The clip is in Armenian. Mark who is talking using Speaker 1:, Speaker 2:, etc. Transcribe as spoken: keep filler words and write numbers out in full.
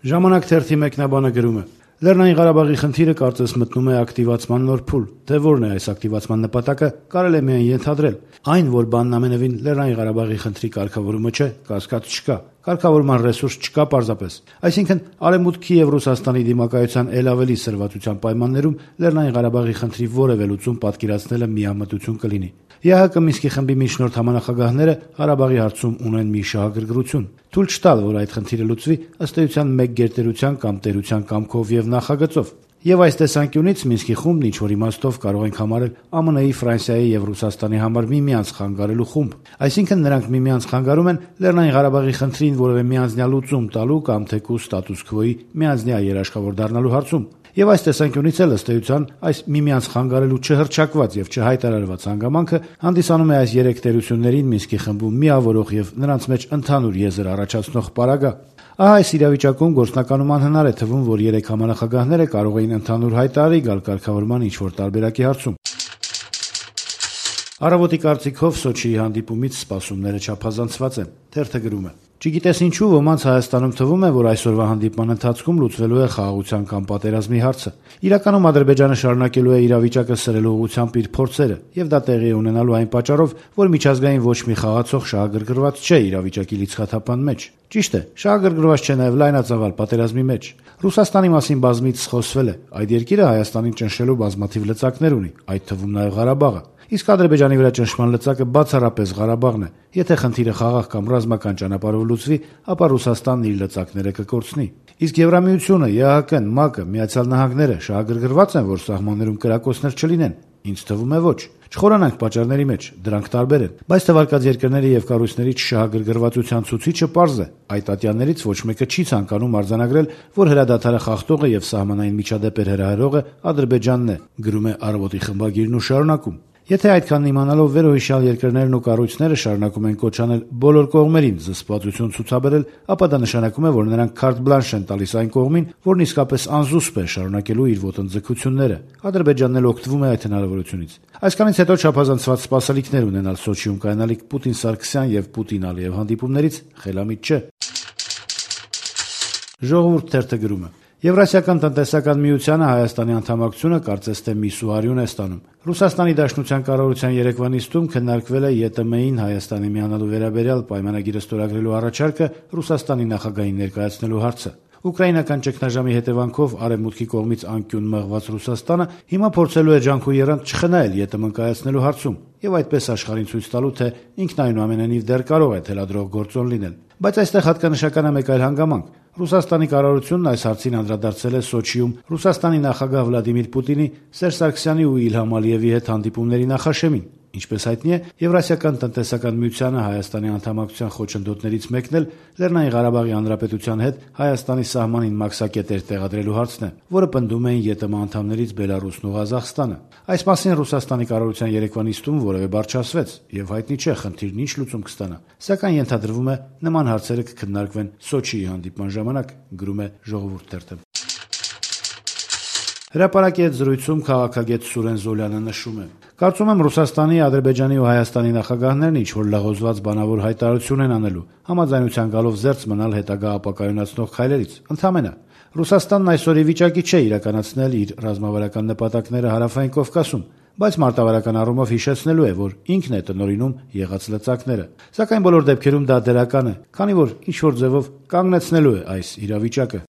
Speaker 1: Ժամանակ թերթի մեկնաբանը գրում է. Լեռնային Ղարաբաղի խնդիրը կարծես մտնում է ակտիվացման նոր փուլ, թե որն է այս ակտիվացման նպատակը, կարելի է միայն ենթադրել։ Այն, որ բանն ամենևին Լեռնային Ղարաբաղի խնդրի կարգավորումը չէ, կասկած չկա, կարգավորման ռեսուրս չկա պարզապես։ Այսինքն Արևմուտքի եւ Ռուսաստանի դիմակայության ել ավելի սրվածության պայմաններում Լեռնային Ղարաբաղի խնդրի որևէ լուծում պատկերացնելը միամտություն կլինի։ ԵԱՀԿ Մինսկի խմբի միջնորդ համանախագահները Ղարաբաղի հարցում ունեն մի շահագրգռություն՝ թույլ չտալ, որ այդ խնդիրը լուծվի ըստ էության մեկ գերտերության կամ տերության կամքով եւ նախագծով։ Եվ այս տեսանկյունից Մինսկի խումբն ինչ-որ իմաստով կարող ենք համարել ԱՄՆ-ի, Ֆրանսիայի եւ Ռուսաստանի համար միմյանց խանգարելու խումբ։ Այսինքն նրանք միմյանց խանգարում են Լեռնային Ղարաբաղի խնդրին որևէ միանձնյա լուծում տալու կամ թեկուզ ստատուս քվոյի միանձնյա երաշխավոր դառնալու հարցում։ Եվ այս տեսանկյունից էլ ըստ էության այս միմյանց խանգարելու չհռչակված եւ չհայտարարված հանգամանքը հանդիսանում է այս երեք տերություններին Մինսկի խմբում միավորող եւ նրանց մեջ ընդհանուր եզր առաջացնող պարագա։ Ահա այս իրավիճակում գործնականում անհնար է թվում, որ երեք համանախագահները կարող էին ընդհանուր հայտարարի գալ կարգավորման ինչ-որ տարբերակի հարցում։ Առավոտի կարծիքով Սոչիի հանդիպումից սպասումները չափազանցված են։ Թերթը գրում է. Չգիտես ինչու ոմանց Հայաստանում թվում է, որ այսօրվա հանդիպման ընթացքում լուծվելու է խաղաղության կամ պատերազմի հարցը։ Իրականում Ադրբեջանը շարունակելու է իրավիճակը սրելու ուղղությամբ իր փորձերը, եւ դա տեղի է ունենալու այն պատճառով, որ միջազգային ոչ մի խաղացող շահագրգռված չէ իրավիճակի լիցքաթափան մեջ։ Ճիշտ է, շահագրգռված չէ նաեւ լայնածավալ պատերազմի մեջ։ Ռուսաստանի մասին բազմիցս խոսվել է։ Այդ երկիրը Հայաստանին ճնշելու բազմաթիվ լծակներ ունի, այդ թվում նաեւ Ղարաբաղը։ Իսկ Ադրբեջանի վրա ճնշման լծակը բացառապես Ղարաբաղն է։ Եթե խնդիրը խաղաղ կամ ռազմական ճանապարհով լուծվի, ապա Ռուսաստանն իր լծակները կկորցնի։ Իսկ Եվրամիությունը, ԵԱՀԿ-ն, ՄԱԿ-ը, Միացյալ Նահանգները շահագրգռված են, որ սահմաններում կրակոցներ չլինեն։ Ինձ թվում է ոչ։ Չխորանանք պատճառների մեջ, դրանք տարբեր են, բայց թվարկած երկրների եւ կառույցների չշահագրգռվածության ցուցիչը պարզ է։ Այդ ատյաններից ոչ մեկը չի ցանկանում արձանագրել, որ հրադադարը խախտողը եւ սահմանային միջադեպեր հրահրողը Ադրբեջանն է, գրում է Առավոտի խմբագիրն ու շարունակում. Եթե այդքան իմանալով վերոհիշյալ երկրներն ու կառույցները շարունակում են կոչ անել բոլոր կողմերին զսպվածություն ցուցաբերել, ապա դա նշանակում է, որ նրանք քարտ բլանշ են տալիս այն կողմին, որն իսկապես անզուսպ է շարունակելու իր ոտնձգությունները։ Ադրբեջանն էլ օգտվում է այդ հնարավորությունից։ Այսքանից հետո չափազանցված սպասելիքներ ունենալ Սոչիում կայանալիք Պուտին-Սարգսյան եւ Պուտին-Ալիև հանդիպումներից խելամիտ չէ։ Ժողովուրդ թերթը գրում է. Եվրասիական տնտեսական միությանը Հայաստանի անդամակցությունը կարծես թե մի սուհարյուն է ստանում։ Ռուսաստանի Դաշնության կառավարության երեկվա նիստում քննարկվել է ԵՏՄ-ին Հայաստանի միանալու վերաբերյալ պայմանագիրը ստորագրելու առաջարկը Ռուսաստանի նախագահին ներկայացնելու հարցը։ Ուկրաինական ճգնաժամի հետևանքով Արևմուտքի կողմից անկյուն մղված Ռուսաստանը հիմա փորձելու է ջանք ու եռանդ չխնայել ԵՏՄ-ն կայացնելու հարցում եւ այդպես աշխարհին ցույց տալու, թե ինքն այնուամենայնիվ դեռ կարող է թելադրող գործոն լինել։ Բայց այստեղ հատկանշական է մեկ այլ հանգամանք։ Ռուսաստանի կառավարությունն այս հարցին անդրադարձել է Սոչիում Ռուսաստանի նախագահ Վլադիմիր Պուտինի, Սերժ Սարգսյանի ու Իլհամ Ալիևի հետ հանդիպումների նախաշեմին։ Ինչպես հայտնի է, Եվրասիական տնտեսական միությանը Հայաստանի անդամակցության խոչընդոտներից մեկն էլ Լեռնային Ղարաբաղի Հանրապետության հետ Հայաստանի սահմանին մաքսակետեր տեղադրելու հարցն է, որը պնդում էին ԵՏՄ անդամներից Բելարուսն ու Ղազախստանը։ Այս մասին Ռուսաստանի կառավարության երեկվա նիստում որևէ բառ չասվեց, եւ հայտնի չէ խնդիրն ինչ լուծում կստանա։ Սակայն ենթադրվում է նման հարցերը կքննարկվեն Սոչիի հանդիպման ժամանակ, գրում է Ժողովուրդ թերթը։ Հրապարակի հետ զրույցում քաղաքագետ Սուրեն Զոլյանը նշում է. Կարծում եմ Ռուսաստանի, Ադրբեջանի ու Հայաստանի նախագահներն ինչ-որ լղոզված բանավոր հայտարարություն են անելու, համաձայնության գալով զերծ մնալ հետագա ապակայունացնող քայլերից։ Ընդհանրապես Ռուսաստանն այսօր ի վիճակի չէ իրականացնել իր ռազմավարական նպատակները Հարավային Կովկասում, բայց մարտավարական առումով հիշեցնելու է, որ ինքն է տնօրինում եղած լծակները։ Սակայն բոլոր դեպքերում դա դրական է, քանի որ ինչ-որ ձևով կանգնեցնելու է այս իրավիճակը։